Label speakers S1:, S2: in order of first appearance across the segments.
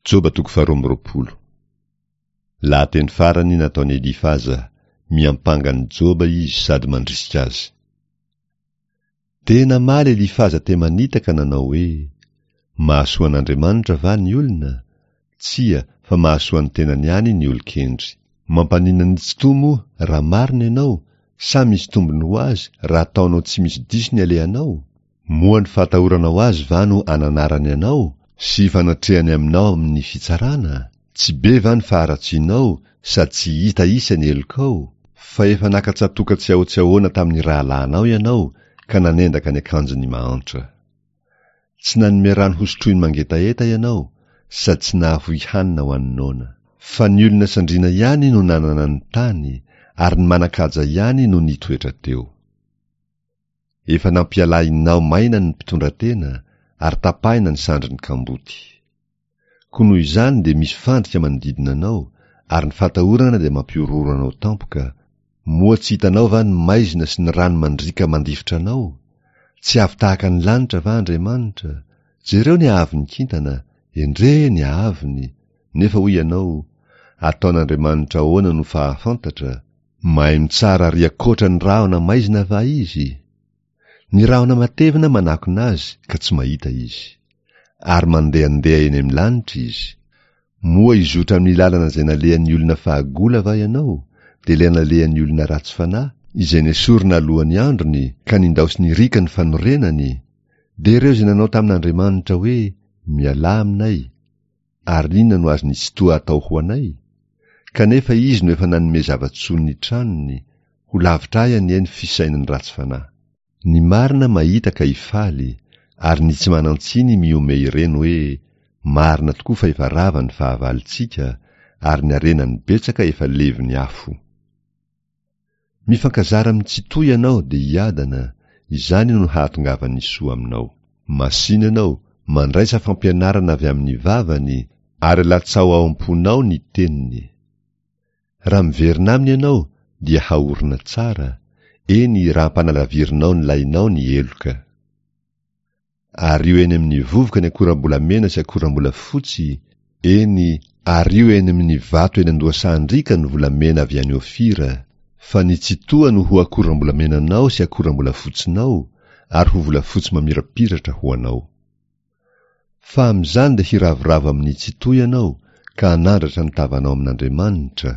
S1: Joba toko faharoa amby 22. Lahateny farany nataon'i Elifaza, miampanga an'i Joba izy sady mandrisika azy. Dia namaly Elifaza Temanita ka nanao hoe, Mahasoa an'Andriamanitra va ny olona? Tsia, fa mahasoa ny tenany ihany ny olon-kendry. Mampaninona ny Tsitoha moa raha marina ianao, sa misy tombony ho azy raha ataonao tsy misy diso ny alehanao? Moa ny fahatahoranao azy va no ananarany anao, sy ifanatrehany aminao amin'ny fitsarana? Tsy be va ny faharatsianao, sady tsy hita isa ny helokao? Fa efa naka tsatoka tsy ahoa tsy ahoana tamin'ny rahalahinao ianao, ka nanendaka ny akanjon'ny mahantra. Tsy nanome rano hosotroin'ny mangetaheta ianao, sady tsy nahafoy hanina ho an'ny noana. Fa ny olona sandriana ihany no nanana ny tany, ary ny manan-kaja ihany no nitoetra teo. Efa nampialahinao maina ny mpitondratena ary tapahina ny sandrin'ny kamboty. Koa noho izany dia misy fandrika manodidina anao, ary ny fahatahorana dia mampihorohoro anao tampoka, moa tsy hitanao va ny maizina sy ny rano mandriaka mandifotra anao? Tsy avo tahaka ny lanitra va Andriamanitra? Jereo ny haavon'ny kintana, endrey ny haavony! Nefa hoy ianao, Ataon'Andriamanitra ahoana no fahafantatra? Mahay mitsara ary ankoatra ny rahona maizina va izy? Ny rahona matevina manakona azy ka tsy mahita izy. Ary mandehandeha eny amin'ny lanitra izy. Moa hizotra amin'ny lalana izay nalehan'ny olona fahagola va ianao, dia ilay nalehan'ny olona ratsy fanahy, izay nesorina alohan'ny androny ka nindaosin'ny riaka ny fanorenany? Dia ireo izay nanao tamin'Andriamanitra hoe, Mialà aminay, Ary inona no azon'i Tsitoha atao ho anay? Kanefa izy no efa nanome zava-tsoa ny tranony, ho lavitra ahy anie ny fisainan'ny ratsy fanahy. Ny marina mahita ka hifaly, ary ny tsy manan-tsiny mihomehy ireny hoe, Marina tokoa fa efa rava ny fahavalontsika, ary ny harenany betsaka efa levon'ny afo. Mifankazara amin'ny Tsitoha ianao dia hiadana, izany no hahatongavan'ny soa aminao. Masìna ianao, mandraisa fampianarana avy amin'ny vavany, ary alatsaho ao am-ponao ny teniny. Raha miverina aminy ianao dia haorina tsara, eny raha ampanalavirinao ny lainao ny heloka. Ario eny amin'ny vovoka ny akoram-bolamena sy akoram-bolafotsy, eny, ario eny amin'ny vato eny an-dohasahan-driaka ny volamena avy any Ofira. Fa ny Tsitoha no ho akoram-bolamenanao sy akoram-bolafotsinao, ary ho volafotsy mamirapiratra ho anao. Fa amin'izany dia hiravoravo amin'ny Tsitoha ianao, ka hanandratra ny tavanao amin'Andriamanitra.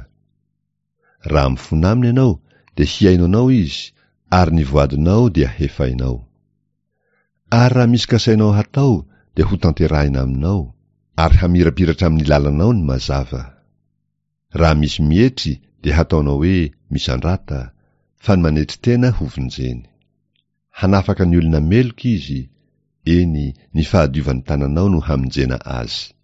S1: Raha mifona aminy ianao, dia hihaino anao Izy, ary ny voadinao dia hefainao. Ary raha misy kasainao hatao dia ho tanterahina aminao, ary hamirapiratra amin'ny lalanao ny mazava. Raha misy mietry dia hataonao hoe misandrata, fa ny manetry tena ho vonjeny. Hanafaka ny olona meloka izy, eny, ny fahadiovan'ny tananao no hamonjena azy.